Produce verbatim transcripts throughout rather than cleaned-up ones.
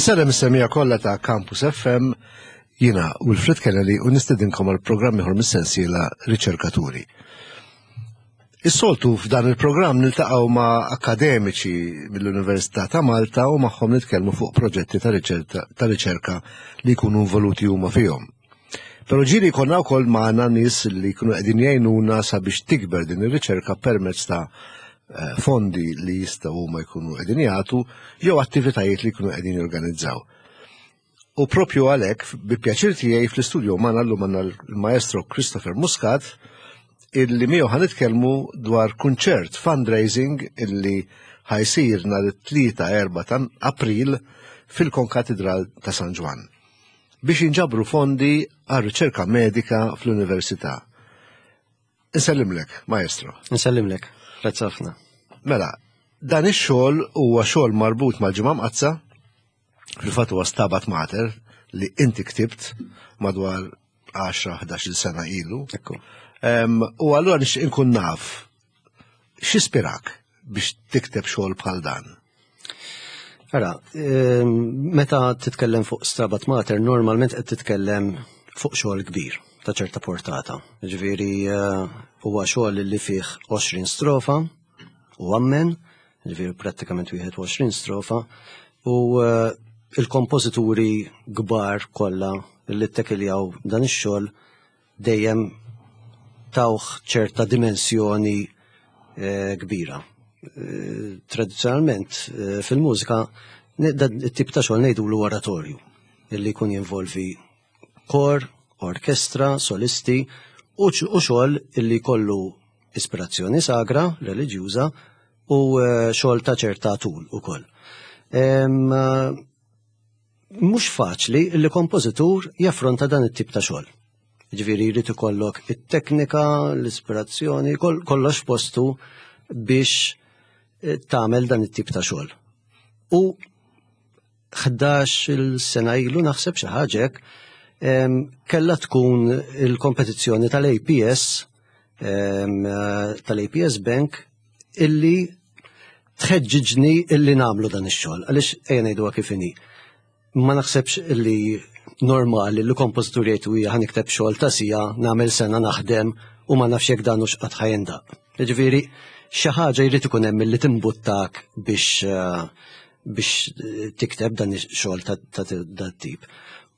Insellem is-semmiegħa kollha ta' Campus F M, jiena Wilfred Kennedy u nistedinkom għal programm ieħor mis-sensiela Riċerkaturi. Is-soltu f'dan il-programm niltaqgħu ma' akademiċi mill-Università ta' Malta u magħhom nitkellmu fuq proġetti ta' riċerka, ta' riċerka li jkunu involuti huma fihom. Però ġieli jkollna wkoll magħna nies li jkunu qegħdin jgħinuna sabiex tikber din ir-riċerka permezz ta' eh, fondi li jistgħu huma jkunu qegħdin jagħtu jew attivitajiet li jkunu qegħdin jorganizzaw. U propju għalhekk, bi pjaċir tiegħi, fl-istudio magħna llum għandna l-maestro Christopher Muscat, illi miegħu ħa nitkellmu dwar kunċert fundraising illi ħa jsir nhar it-tlieta erba' ta' April fil-Konkatedral ta' San Ġwann biex jinġabru fondi għal riċerka medika fl-Università. Insellimlek, maestro. Nsellimlek, grazzi ħafna. Mela, dan ix-xogħol huwa xogħol marbut mal-Ġimgħa Mqaddsa, fil-fatt huwa Stabat Mater li inti ktibt madwar għaxra ħdax-il sena ilu. Ekku. Em, U allura nixtieq inkun naf x'ispirak biex tikteb xogħol bħal dan? Ara, ehm, meta titkellem fuq Stabat Mater, normalment qed titkellem fuq xogħol kbir ta' ċerta portata. Ġifieri eh, huwa xogħol li fih għoxrin strofa u ammen, ġifieri prattikament wieħed u għoxrin strofa, u eh, il-kompożituri kbar kollha li ttekiljaw dan ix-xogħol dejjem tawh ċerta dimensjoni eh, kbira. Eh, Tradizzjonalment eh, fil-mużika ne- dan it-tip ta' xogħol ngħidulu oratorju, illi jkun jinvolvi kor, orkestra, solisti u x- u xogħol illi jkollu ispirazzjoni sagra, reliġjuża u eh, xogħol ta' ċerta tul ukoll. Em, eh, Mhux faċli li kompożitur jaffronta dan it-tip ta' xogħol. Ġifieri jrid ikollok it-teknika, l-ispirazzjoni, kol- kollox postu biex eh, tagħmel dan it-tip ta' xogħol. U ħdax-il sena ilu, naħseb, xi ħaġa hekk, em, kellha tkun il-kompetizzjoni tal-A P S em, eh, tal-A P S Bank illi tħeġġiġni illi nagħmlu dan ix-xogħol, għaliex ejja ngħiduha kif inhi. Ma naħsebx illi normali li kompożitur jgħid hija ħa nikteb xogħol ta' siegħa, nagħmel sena naħdem u ma nafx jekk dan hux qatt ħa jindaqq. Ġifieri xi ħaġa jrid ikun hemm illi timbuttak biex eh, biex eh, tikteb dan ix-xogħol ta' ta' dat tip.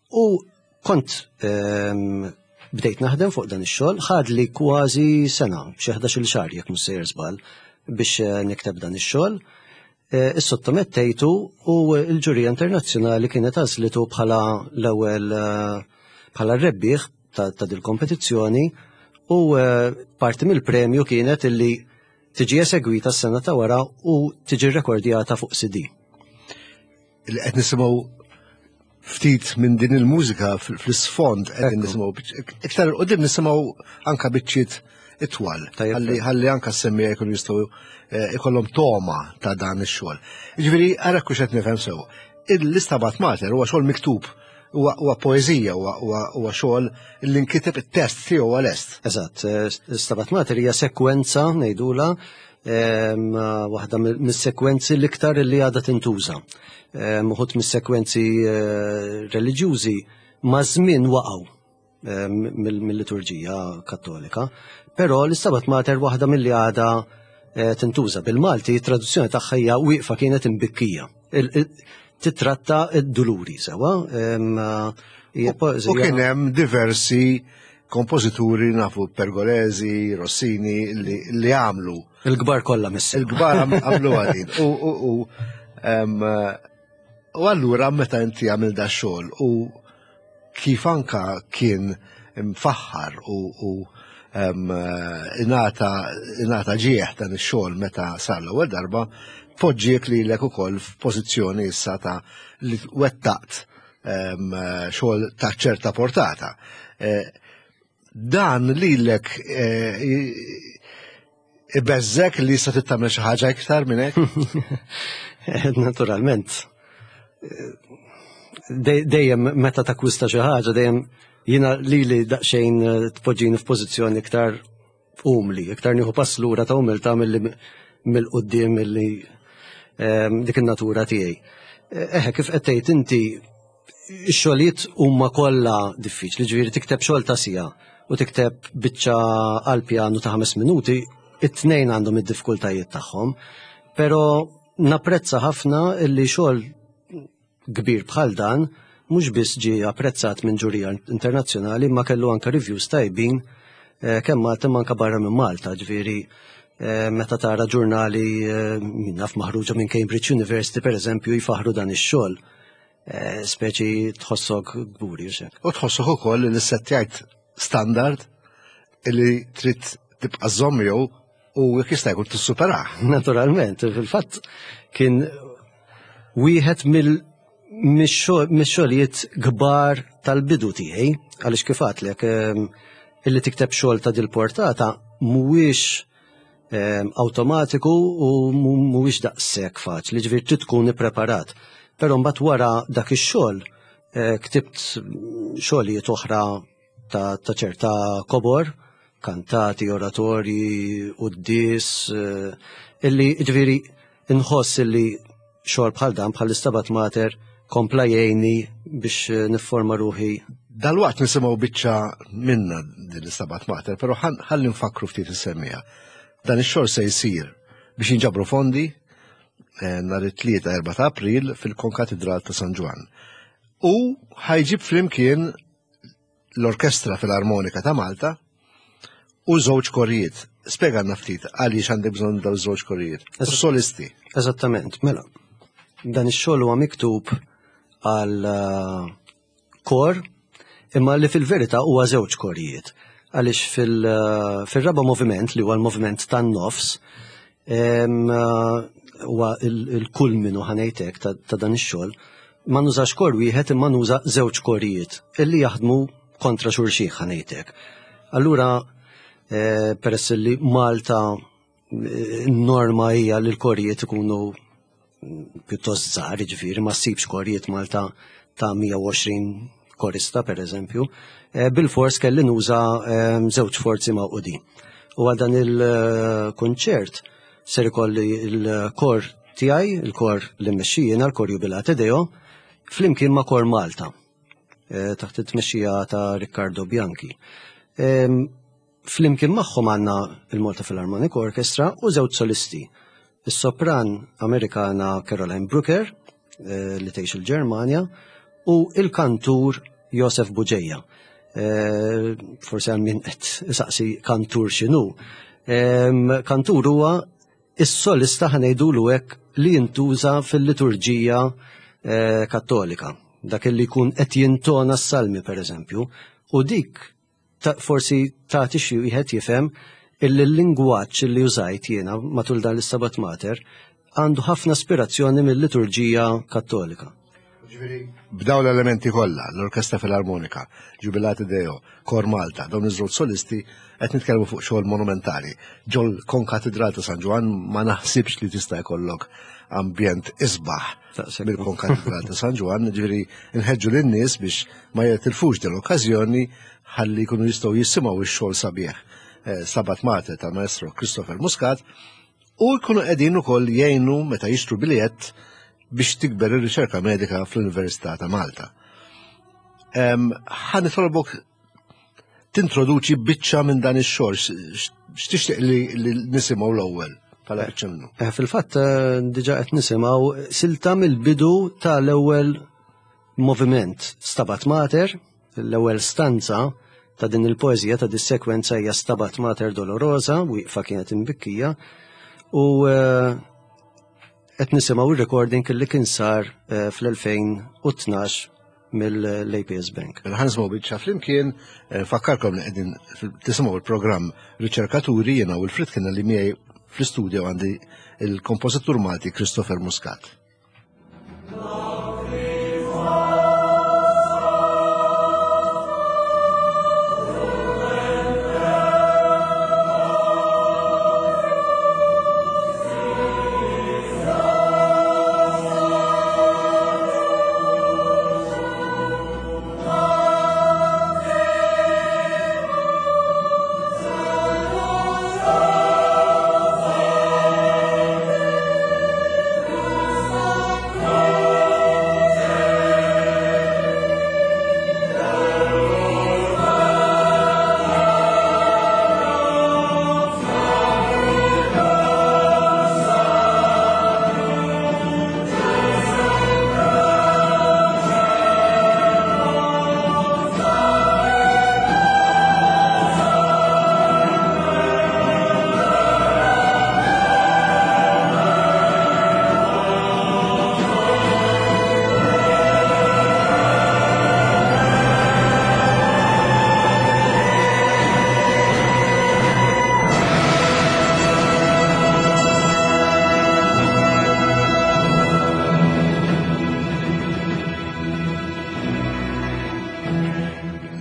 U kont ehm, bdejt naħdem fuq dan ix-xogħol, ħadli kważi sena, xi ħdax-il xahar jekk mhux sejjer żball, biex eh, nikteb dan ix-xogħol. Eh, Is-sottomettejtu u l-ġurija internazzjonali kienet għażlitu bħala l-ewwel eh, bħala r-rebbieħ ta', ta' dil-kompetizzjoni u eh, parti mill-premju kienet illi tiġi esegwita s-sena ta' wara u tiġi rekordjata fuq C D. Li qed nisimgħu ftit minn din il-mużika fl- fl-isfond qed Ekku. nisimgħu biċ- iktar 'il quddiem nisimgħu anka biċċiet itwal. Tajjeb. Ħalli ħalli anka s-semmiegħa jkunu jistgħu eh, ikollhom toma ta' dan ix-xogħol. Jiġifieri ara kux qed nifhem sew. Il-Istabat Mater huwa xogħol miktub, huwa huwa poeżija, huwa huwa huwa xogħol li nkiteb, it-test tiegħu huwa lest. Eżatt, eh, Stabat Mater hija sekwenza ngħidula, em, waħda mis-sekwenzi l-iktar li għadha tintuża. Em, Uħud mis-sekwenzi eh, reliġjużi ma' żmien waqgħu em, mill- mill-liturġija Kattolika, però l-Istabat Mater waħda mill-li għadha eh, tintuża. Bil-Malti, traduzzjoni tagħha hija "Wieqfa kienet imbikkija". Il- il- Titratta id-duluri sewa. em, hija U poeżija- kien hemm diversi kompożituri, nafu Pergolesi, Rossini, li, li għamlu Il-kbar kollha missi. Il-kbar għam- għamlu għadin. U, u, u, em, u allura meta inti għamil da xogħol u kif anka kien mfaħħar u, u em, ingħata ingħata ġieħ dan ix-xogħol meta sar l-ewwel darba, poġġiek lilek ukoll f'pożizzjoni issa ta' li wettaqt em, xogħol ta' ċerta portata. Eh, Dan lilek eh, ibeżżgħek li issa tagħmel xi ħaġa iktar minn hekk? Naturalment. Dej- Dejjem meta takwista xi ħaġa, dejjem jiena lili daqsxejn eh, tpoġġini f'pożizzjoni iktar umli, iktar nieħu pass lura ta' umiltà milli mill-quddiem milli ehm, dik in-natura tiegħi. Eħe, kif qed tgħid inti, ix-xogħlijiet huma kollha diffiċli, ġifieri tikteb xogħol ta' siegħa u tikteb biċċa għal pjanu ta' ħames minuti, it-tnejn għandhom id-diffikultajiet tagħhom, però napprezza ħafna illi xogħol kbir bħal dan mhux biss ġie apprezzat minn ġurija internazzjonali, ma kellu anke reviews tajbin eh, kemm Malta imma anke barra minn Malta, ġifieri eh, meta tara ġurnali eh, min naf maħruġa minn Cambridge University per eżempju jfaħru dan ix-xogħol. Eh, speċi tħossok kburi. U U tħossok ukoll li settjajt standard li trid tibqa' żomm jew u jekk jista' jkun tissuperah. Naturalment, fil-fatt kien wieħed mill mix-xogħlijiet kbar tal-bidu tiegħi, għaliex kif għedtlek ehm, illi tikteb xogħol ta' dil-portata mhuwiex ehm, awtomatiku u mhuwiex daqshekk faċli, ġifieri trid tkun ippreparat. Però mbagħad wara dak ix-xogħol eh, ktibt xogħlijiet oħra ta' ta' ċerta kobor, kantati, oratorji, quddies, eh, illi ġifieri inħoss illi xogħol bħal dan bħal Stabat Mater kompla jgħinni biex eh, nifforma ruħi. Dalwaqt nisimgħu biċċa minna din l-Stabat Mater, però ħalli nfakru ftit is-semmiegħa. Dan ix-xogħol se jsir biex jinġabru fondi eh, nhar it-tlieta erba' ta' April fil-Konkatedral ta' San Ġwann. U ħa jġib flimkien l-Orkestra Filarmonika ta' Malta u żewġ korijiet. Spjegalna ftit għaliex għandek bżonn dawn żewġ korijiet. U solisti. Eżattament, mela. Dan ix-xogħol huwa miktub għal eh, kor, imma li fil-verità huwa żewġ korijiet. Għaliex fil- eh, fil-raba moviment, li huwa l-moviment tan-nofs, em, eh, huwa il-kulminu ħa ngħidlek ta' ta' dan ix-xogħol, ma nużax kor wieħed imma nuża żewġ korijiet illi jaħdmu kontra xulxin ħa ngħidlek. Allura, eh, peress li Malta eh, norma hija li l-korijiet ikunu pjuttost żgħar, jiġifieri ma ssibx korijiet Malta ta' mija u għoxrin korista per eżempju, eh, bil-fors kelli nuża, eh, żewġ forzi mawqudin. U għal dan il-konċert ser ikolli il-kor tiegħi, il-kor li mmexxi jiena, l-kor Jubilate Deo, flimkien ma' Kor Malta, eh, taħt it-tmexxija ta' Riccardo Bianchi. Em, Flimkien magħhom għandna il-Malta Philharmonic Orchestra u żewġ solisti. Is-sopran Amerikana Caroline Brooker, eh, li tgħix il-Ġermanja, u il-kantur Josef Bugeja. Eh, forsi għal min qed isaqsi kantur x'inhu. Em, kantur huwa is-solista ħa ngħidulu hekk li jintuża fil-liturġija, eh, kattolika. Dak li jkun qed jintona s-salmi per eżempju, u dik ta-, forsi tagħti xi wieħed jifhem illi l-lingwaġġ li użajt jiena matul dan l-Stabat Mater għandu ħafna aspirazzjoni mill-liturġija kattolika. Ġifieri, b'daw l-elementi kollha, l-Orkestra Filarmonika, Jubilate Deo, Kor Malta, dawn iż-żewġ solisti qed nitkellmu fuq xogħol monumentali. Ġol Konkatedral ta' San Ġwann ma naħsibx li tista' jkollok ambjent isbaħ Taqseb. mill-Konkatedral ta' San Ġwann, ġifieri nħeġġu lin-nies biex ma jitilfux din l-okkażjoni ħalli jkunu jistgħu jisimgħu x-xogħol sabiħ. Eh, Stabat Mater tal-Maestro Christopher Muscat u jkunu qegħdin ukoll jgħinu meta jixtru biljett biex tikber ir-riċerka medika fl-Università ta' Malta. Em, ħa nitolbok tintroduċi biċċa minn dan ix-xogħol, x-, x'tixtieq li, li nisimgħu l-ewwel bħala biċċa minnu? Eh, fil-fatt, eh, diġà qed nisimgħu silta mill-bidu tal-ewwel moviment Stabat Mater, l-ewwel stanza ta' din il-poeżija ta' dis-sekwenza hija Stabat Mater Dolorosa, wieqfa kienet imbikkija, u, eh, qed nisimgħu ir-recording li kien sar, eh, fl-elfejn u tnax mill-A P S Bank. Mela ħa nisimgħu biċċa flimkien, eh, fakkarkom li qegħdin fil-, tisimgħu il-programm Riċerkaturi, jiena u Wilfred kien li miegħi fl-istudio għandi il-kompożitur Malti Christopher Muscat. Thank you.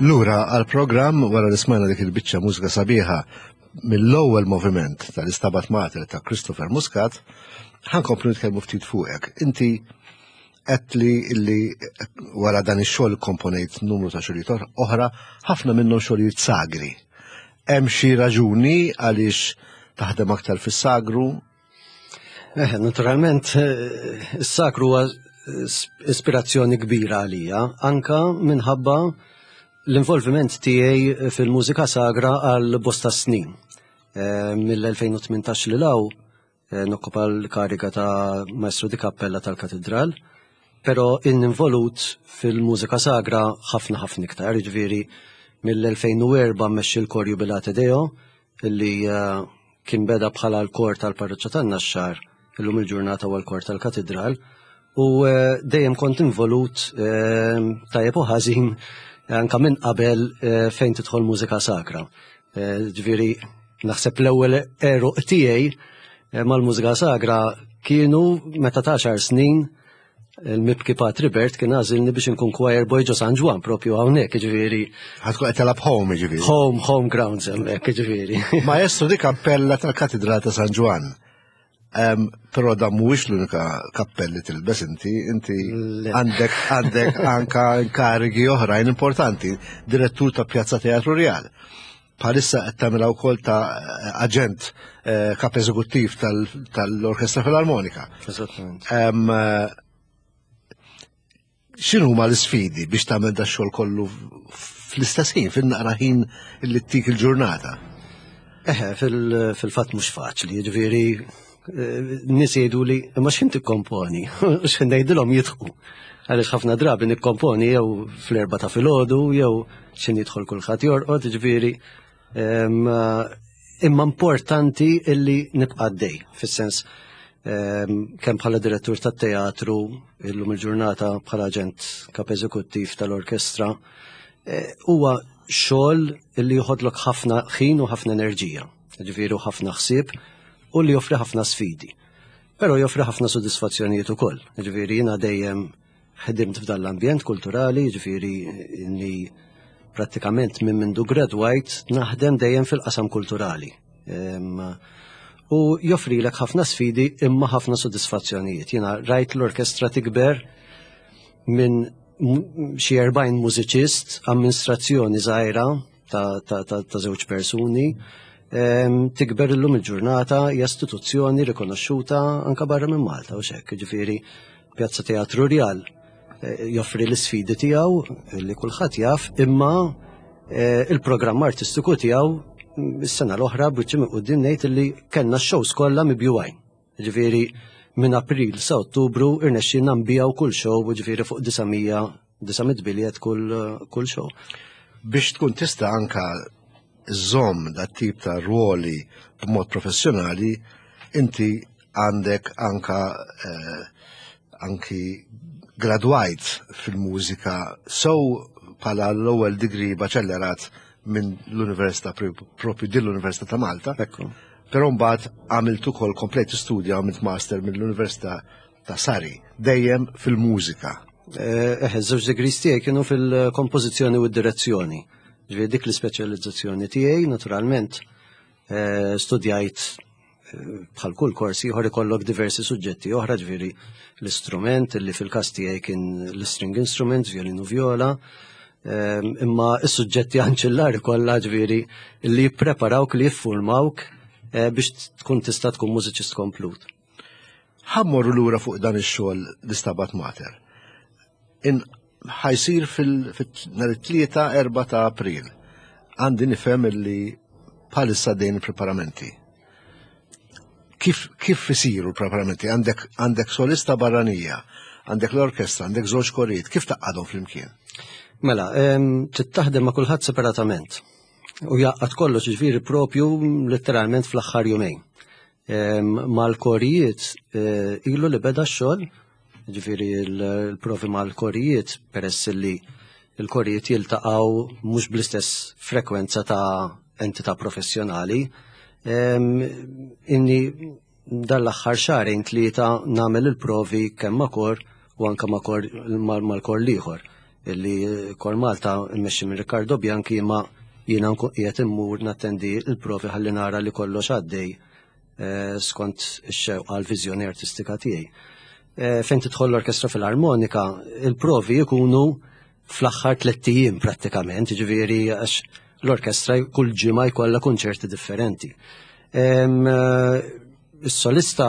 Lura għal-programm wara li smajna dik il-biċċa mużika sabiħa mill-ewwel moviment tal-Istabat Mater ta' Christopher Muscat, ħa nkomplu nitkellmu ftit fuqek. Inti qed li illi wara dan ix-xogħol komponejt numru ta' xogħlijiet oħra, ħafna minnhom xogħlijiet sagri. Hemm xi raġuni għaliex taħdem aktar fis-sagru? Eh, naturalment, eh, is-sagru huwa ispirazzjoni kbira għalija, anka minħabba l-involviment tiegħi fil-mużika sagra għal bosta snin. Eh, Mill-elfejn u tmintax li law eh, nokkupa l-kariga ta' Maestro di Cappella tal-Katedral, pero involut fil-mużika sagra ħafna ħafna iktar, jiġifieri mill-elfejn u erba' mmexxi l-kor Jubilate Deo, illi, eh, kien beda bħala l-kor tal-Parroċċa tan-Naxxar, illum il-ġurnata huwa l-kor tal-Katedral, u, eh, dejjem kont involut, eh, tajjeb u ħażin anka minn qabel, eh, fejn tidħol mużika sakra. Eh, ġifieri naħseb l-ewwel għeruq tiegħi, eh, mal-mużika sagra kienu meta ta' għaxar snin il-mibki Patri Bert kien għażilni biex inkun choir boy ġo San Ġwann propju hawnhekk, jiġifieri. Ħa tkun qed telab home, jiġifieri. Home, home grounds hemmhekk, jiġifieri. Maestro di Cappella tal-Katedral ta' San Ġwann. Em, però dan mhuwiex l-unika kappelli tilbes inti, inti Le. għandek, għandek anka inkarigi oħrajn importanti, direttur ta' Pjazza Teatru Real. Bħalissa qed tagħmilha wkoll ta' aġent, eh, kap eżekuttiv tal-, tal-Orkestra Filarmonika. Eżattament. Em, x'inhuma l-isfidi biex tagħmel da xogħol kollu fl-istess ħin, fin-naqra ħin li ttik il-ġurnata? Eħe, fil-, fil-fatt mhux faċli, jiġifieri, eh, nies jgħidu li imma x'ħin tikkomponi, x'ħin ngħidilhom jidħku. Għaliex ħafna drabi nikkomponi jew fl-erba' ta' filgħodu jew x'ħin jidħol kulħadd jorqod, jiġifieri, em, imma importanti illi nibqa' għaddej, fis-sens, em, kemm bħala direttur tat-teatru, illum il-ġurnata bħala aġent kap eżekuttiv tal-orkestra, eh, huwa xogħol illi joħodlok ħafna ħin u ħafna enerġija, jiġifieri ħafna ħsieb u li joffri ħafna sfidi. Però joffri ħafna sodisfazzjonijiet ukoll. Jiġifieri jiena dejjem ħedimt f'dan l-ambjent kulturali, jiġifieri inni prattikament minn mindu gradwajt naħdem dejjem fil-qasam kulturali. Em, u joffrilek ħafna sfidi imma ħafna sodisfazzjonijiet. Jiena rajt l-orkestra tikber minn m-, xi erbgħin mużiċist, amministrazzjoni żgħira ta', ta', ta', ta' żewġ persuni, em, tikber illum il-ġurnata hija istituzzjoni rikonoxxuta anka barra minn Malta u xekk, jiġifieri Pjazza Teatru Real, eh, joffri l-isfidi tiegħu li kulħadd jaf, imma, eh, il-programm artistiku tiegħu is-sena l-oħra biċċi minn quddiem ngħid li kellna x-shows kollha mibjugħin. Jiġifieri minn April sa Ottubru irnexxielna nbiegħu kull show, jiġifieri fuq disa' mija, disa' mitt biljett kull, kull show. Biex tkun tista' anka żomm dat tip ta' ruoli b'mod professjonali, inti għandek anka, eh, anki gradwajt fil-mużika so bħala l-ewwel degree baċellerat minn l-Università propju din l-Università ta' Malta. Ekku. Però mbagħad għamilt ukoll komplet studja, għamilt master mill-Università ta' Surrey, dejjem fil-mużika. Eh, eh, żewġ degrees tiegħi kienu fil-kompożizzjoni u d-direzzjoni. Ġifieri dik l-ispeċjalizzazzjoni tiegħi, naturalment, eh, studjajt, eh, bħal kull kors ieħor ikollok diversi suġġetti oħra, ġifieri l-istrument li fil-każ tiegħi kien l-string instrument, violin u viola, ehm, imma s-suġġetti anċillari kollha ġifieri li jippreparawk, li jiffurmawk, eh, biex tkun tista' tkun mużiċist komplut. Ħa mmorru lura fuq dan ix-xogħol l-Istabat Mater. In ħa jsir fil-, fil-, nhar it-tlieta erba' ta' April. Għandi nifhem li bħalissa dejn il-preparamenti. Kif, kif isiru l-preparamenti? Għandek, għandek solista barranija, għandek l-orkestra, għandek żewġ korijiet, kif taqgħadhom flimkien? Mela, em, trid taħdem ma' kulħadd separatament. U jaqgħad kollox ġifieri propju letteralment fl-aħħar jumejn. Em, mal-korijiet, eh, ilu li beda x-xogħol, ġifieri l-, l-provi mal-korijiet, peress li l-korijiet jiltaqgħu mhux bl-istess frekwenza ta' entità professjonali. Em, inni dan l-aħħar xahrejn tlieta nagħmel il-provi kemm ma' kor u anke ma' kor, mal-, mal-kor l-ieħor. Illi Kor Malta mmexxi minn Riccardo Bianchi, ma jiena nkun qiegħed immur nattendi l-provi ħalli nara li kollox għaddej eh, skont ix-xewqa, l-viżjoni artistika tiegħi. Eh, fejn tidħol l-Orkestra Filarmonika, il-provi jkunu fl-aħħar tliet ijiem prattikament, ġifieri għax l-orkestra kull ġimgħa jkollha konċerti differenti. Em, eh, Is-solista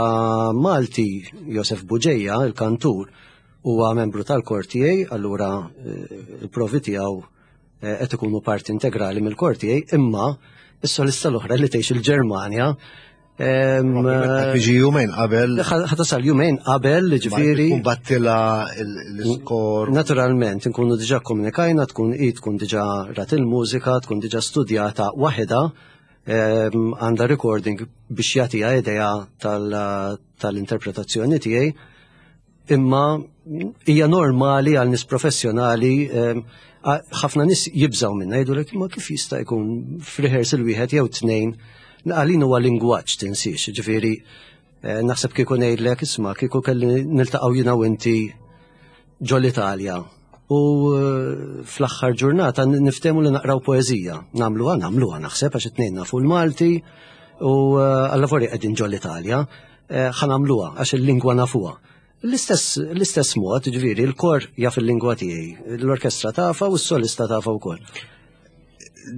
Malti Josef Buġeja, il-kantur, huwa membru tal-kor tiegħi, allura eh, il-provi tiegħu eh, qed ikunu parti integrali mill-kor tiegħi, imma is-solista l-oħra li tgħix il-Ġermanja em, Tiġi jumejn qabel. ħa tasal jumejn qabel, ġifieri. Tkun bgħattilha l-iskor. Naturalment, nkunu diġa komunikajna, tkun i tkun diġa rat il-mużika, tkun diġa studjata waħedha, em, għandha recording biex jagħtiha idea tal- tal-interpretazzjoni tiegħi, imma hija normali għal nies professjonali, em, a- ħafna nies jibżaw minna, jgħidu imma kif jista' jkun f'rehearsal wieħed jew tnejn? Għalin huwa lingwaġġ, tinsiex, ġifieri eh, naħseb kieku ngħidlek, isma', kieku kelli niltaqgħu jiena u inti ġol-Italja u eh, fl-aħħar ġurnata niftehmu li naqraw poeżija. Nagħmluha, nagħmluha naħseb għax it-tnejn nafu l-Malti u eh, alla qegħdin ġol-Italja, eh, ħa nagħmluha għax il-lingwa nafuha. L-istess l-istess mod, ġifieri, il-kor jaf il-lingwa tiegħi, l-orkestra tafa u s-solista tafa wkoll.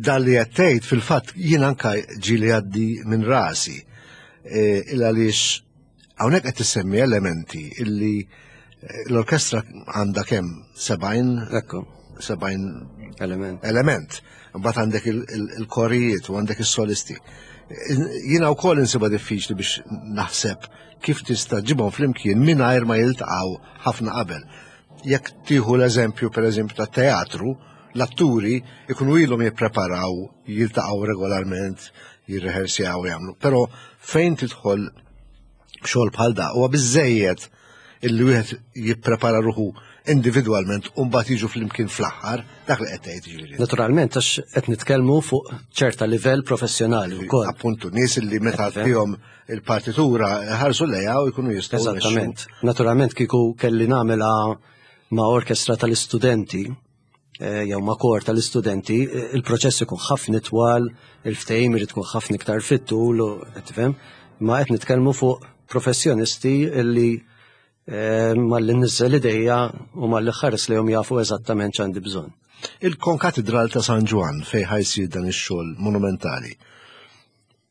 Dan li qed tgħid fil-fatt jien anka ġieli għaddi minn rasi. E, il għaliex hawnhekk qed tissemmi elementi illi eh, l-orkestra għandha kemm sebgħin Ekku, sebgħin element. element. Mbagħad għandek il- il- il-korijiet u għandek is-solisti. Jiena wkoll insibha diffiċli biex naħseb kif tista' ġibhom flimkien mingħajr ma jiltaqgħu ħafna qabel. Jekk tieħu l-eżempju, pereżempju, ta' teatru, l-atturi ikunu ilhom jippreparaw, jiltaqgħu regolarment, jirrehersjaw, jagħmlu. Però fejn tidħol xogħol bħal da huwa biżejjed illi wieħed jipprepara ruħu individwalment u mbagħad jiġu flimkien fl-aħħar, dak li qed tgħid ġifieri. Naturalment, għax qed nitkellmu fuq ċerta livell professjonali wkoll. Appuntu, nies li meta Qed tifhem? tihom il-partitura ħarsu lejha u jkunu jistgħu Eżattament. Naturalment, kieku kelli nagħmilha ma' orkestra tal-istudenti eh, jew ma' kor tal-istudenti, eh, il-proċess ikun ħafna twal, il-ftehim irid tkun ħafna iktar fit-tul, u qed tifhem? Ma qed nitkellmu fuq professjonisti illi eh, malli nniżżel idejja u malli nħares lejhom jafu eżattament x'għandi bżonn. Il-Konkatedral ta' San Ġwann, fejn ħa jsir dan ix-xogħol monumentali.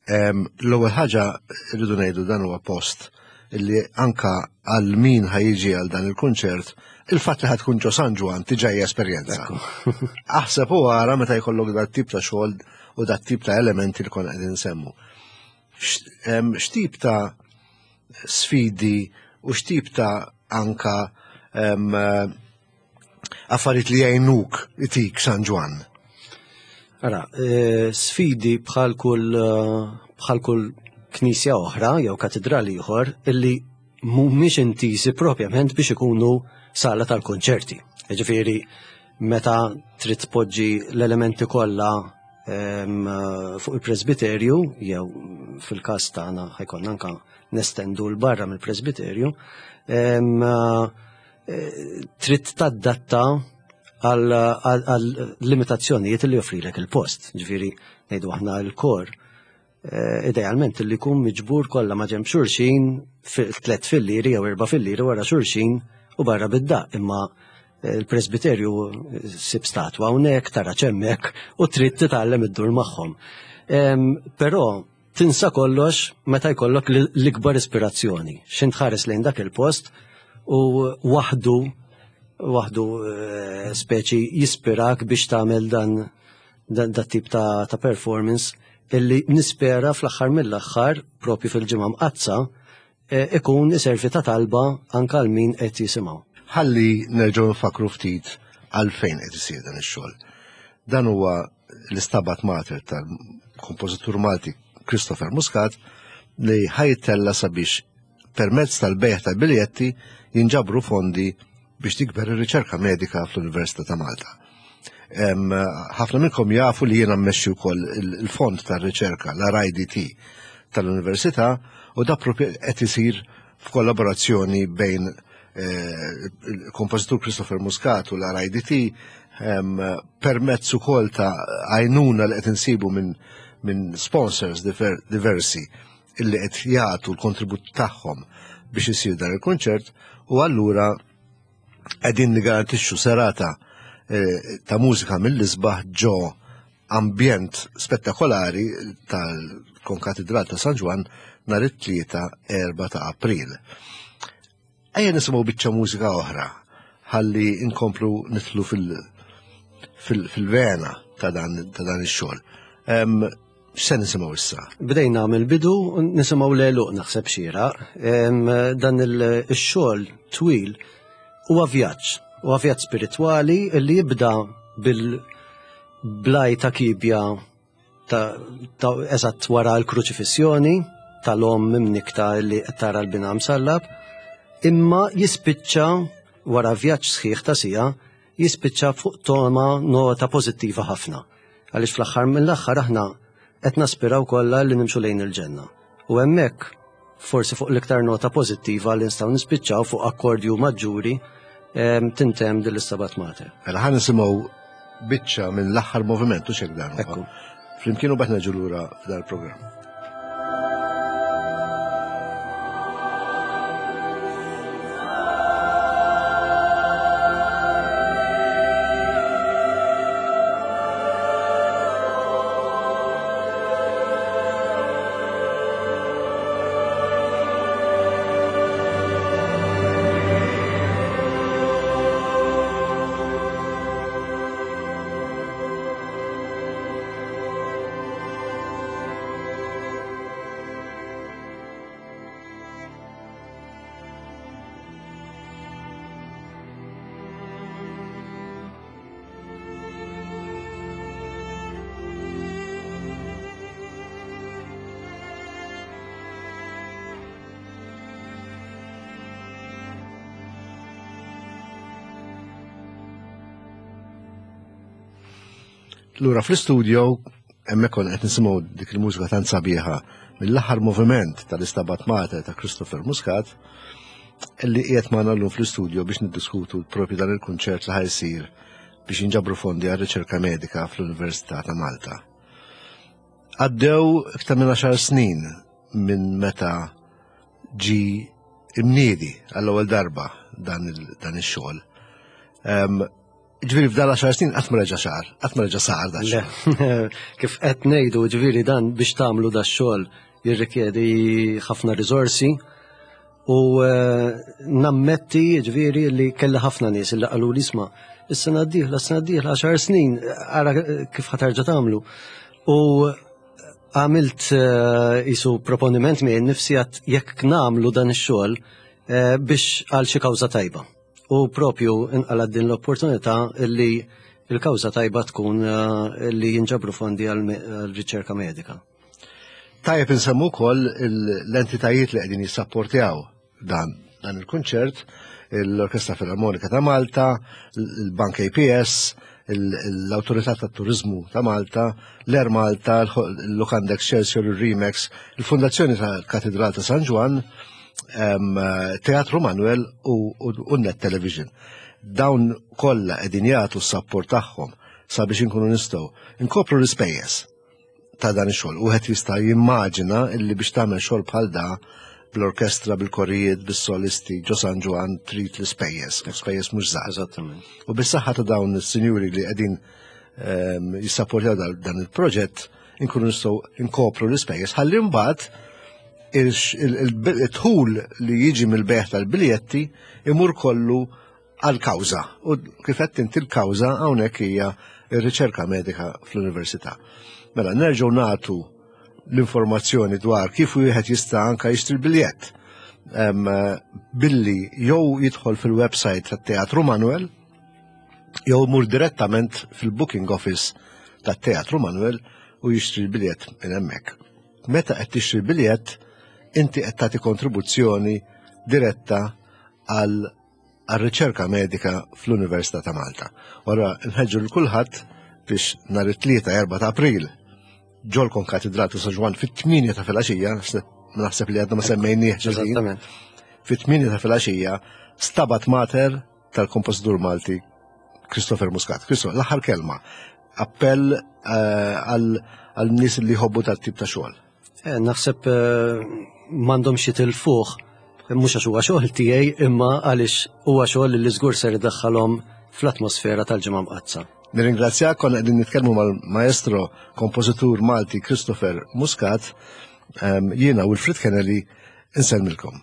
Em, L-ewwel ħaġa rridu ngħidu, dan huwa post illi anka għal min ħa jiġi għal dan il-kunċert, il-fatt li ħa tkun ġo San Ġwann diġà hija esperjenza. Aħseb u ara meta jkollok dat tip ta' xogħol u dat tip ta' elementi li konna qegħdin nsemmu. X- em, X'tip ta' sfidi u x'tip ta' anka em, eh, affarijiet li jgħinuk itik San Ġwann? Ara, eh, sfidi bħal kull eh, bħal kull knisja oħra jew katedrali ieħor illi mhumiex intiżi propjament biex ikunu sala tal-konċerti. Ġifieri meta trid tpoġġi l-elementi kollha em, eh, fuq il-presbiterju jew fil-każ tagħna ħa jkollna anka nestendu 'l barra mill-presbiterju, em, eh, trid tadatta għal għal limitazzjonijiet li joffrilek il-post. Ġifieri, ngħidu aħna l-kor, eh, idealment li jkun miġbur kollha ma' ġenb xulxin tliet filliri jew erba' filliri wara xulxin u barra bid-daq, imma eh, il-presbiterju eh, sib statwa hawnhekk, tara hemmhekk u trid titgħallem iddur magħhom. Em, Però tinsa kollox meta jkollok l- l-ikbar ispirazzjoni. X'int tħares lejn dak il-post u waħdu waħdu eh, speċi jispirak biex tagħmel dan dan dat tip ta', ta' performance illi nispera fl-aħħar mill-aħħar, propju fil-Ġimgħa Mqaddsa, eh, ikun iservi ta' talba anke għal min qed jisimgħu. Ħalli nerġgħu nfakru ftit għalfejn qed isir dan ix-xogħol. Dan huwa l-Istabat Mater tal-kompożitur Malti Christopher Muscat li ħa jittella' sabiex permezz tal-bejgħ tal-biljetti jinġabru fondi biex tikber ir-riċerka medika fl-Università ta' Malta. Em, Ħafna minnkom jafu li jiena mmexxi wkoll il- il-fond tar-riċerka, l-R I D T tal-Università, u da propju qed isir f'kollaborazzjoni bejn il-kompożitur Christopher Muscat u l-R I D T, permezz ukoll ta' għajnuna li qed insibu minn, minn sponsors diver-, diversi illi qed jagħtu l-kontribut tagħhom biex isir dan il-kunċert, u allura qegħdin nigarantixxu serata, eh, ta' mużika mill-isbaħ ġo ambjent spettakolari tal-Konkatedral ta' San Ġwann nhar it-tlieta erba' ta' April. Ejja nisimgħu biċċa mużika oħra ħalli nkomplu nidħlu fil-, fil-, fil-vena ta' dan, ta' dan ix-xogħol. Em, x'se nisimgħu issa? Bdejna mill-bidu nisimgħu l-għeluq naħseb xieraq. Em, dan il-, ix-xogħol twil huwa vjaġġ, huwa vjaġġ spiritwali li jibda bil-blaj ta' kibja ta', ta' eżatt wara l-kruċifissjoni tal-omm imnikta li qed tara l-bina msallab, imma jispiċċa wara vjaġġ sħiħ ta' sija, jispiċċa fuq toma nota pożittiva ħafna. Għaliex fl-aħħar mill-aħħar aħna qed naspiraw kollha li nimxu lejn il-ġenna. U hemmhekk forsi fuq l-iktar nota pożittiva li nistgħu nispiċċaw fuq akkordju maġġuri, em, tintemm din l-Stabat Mater. Mela ħa nisimgħu biċċa minn l-aħħar moviment u x'hekk dan huwa. Ekku. Flimkien u bagħad nerġgħu lura f'dan il-programm. Lura fl-istudio, hemmhekk konna qed nisimgħu dik il-mużika tant sabiħa mill-aħħar moviment tal-Istabat Mater ta' Christopher Muscat, li qiegħed magħna llum fl-istudio biex niddiskutu propju dan il-kunċert li ħajsir biex jinġabru fondi għal riċerka medika fl-Università ta' Malta. Għaddew iktar minn għaxar snin minn meta ġi imniedi għall-ewwel darba dan il-, dan ix-xogħol. Em, Ġifieri f'dan l-għaxar snin qatt ma reġa' xahar, qatt ma reġa' sar da Le. xogħol. Kif qed ngħidu, ġifieri dan biex tagħmlu da xogħol jirrikjedi ħafna riżorsi u, eh, nammetti ġifieri li kelli ħafna nies li qalu li isma' is-sena d-dieħla, is-sena d-dieħla għaxar snin, ara kif ħatarġa' tagħmlu. U għamilt, eh, isu proponiment minn nifsi għat jekk nagħmlu dan ix-xogħol, eh, biex għal xi kawża tajba. U propju inqalad din l-opportunità li il-kawża tajba tkun, eh, li jinġabru fondi għal me-, għal riċerka medika. Tajjeb insemmu wkoll il-, l-entitajiet li qegħdin jissapportjaw dan, dan il-kunċert, l-Orkestra Filarmonika ta' Malta, il-Bank A P S, il-, l-Awtorità tat-Turiżmu ta' Malta, l-Air Malta, il-Lukanda Excelsior, il-Remax, il-Fondazzjoni tal-Katedral ta' San Ġwann, em, Teatru Manuel u, u, u Net Television. Dawn kollha qegħdin jagħtu s-sapport tagħhom sabiex inkunu nistgħu nkopru l-ispejjeż ta' dan ix-xogħol. Wieħed jista' jimmaġina illi biex tagħmel xogħol bħal da bl-orkestra, bil-korijiet, bis-solisti, ġo San Ġwann trid l-ispejjeż, l-ispejjeż mhux żgħar. Eżattament. U bis-saħħa ta' dawn is-sinjuri li qegħdin, ehm, jissapportjaw dan, dan il-proġett, inkunu nistgħu nkopru l-ispejjeż ħalli mbagħad il-dħul li jiġi mill-bejgħ tal-biljetti imur kollu għal-kawża. U kif qed inti l-kawża hawnhekk hija r-riċerka medika fl-università. Mela nerġgħu nagħtu l-informazzjoni dwar kif wieħed jista' anke jixtri l-biljett. Em, billi jew jidħol fil-website tat-Teatru Manuel jew mur direttament fil-booking office tat-Teatru Manuel u jixtri l-biljett minn hemmhekk. Meta qed tixtri l-biljett, inti qed tagħti kontribuzzjoni diretta għal, għal riċerka medika fl-Università ta' Malta. Ora nħeġġu lil kulħadd biex nhar it-tlieta erba' ta' April ġol Konkatedral ta' San Ġwann fit-tmienja ta' filgħaxija, naħseb li għadna ma semmejnieh ġifieri. Eżattament. Fit-tmienja ta' filgħaxija Stabat Mater tal-kompożitur Malti Christopher Muscat. Christopher, l-aħħar kelma. Appell eh, għal nies li jħobbu dat-tip ta' xogħol. Eh, naħseb eh, m'għandhomx jitilfuh, mhux għax huwa xogħol tiegħi, imma għaliex huwa xogħol li żgur ser idaħħalhom fl-atmosfera tal-Ġimgħa Mqaddsa. Nirringrazzjak, konna qegħdin nitkellmu mal-maestro kompożitur Malti Christopher Muscat, jiena Wilfred Kennelly insellmilkom.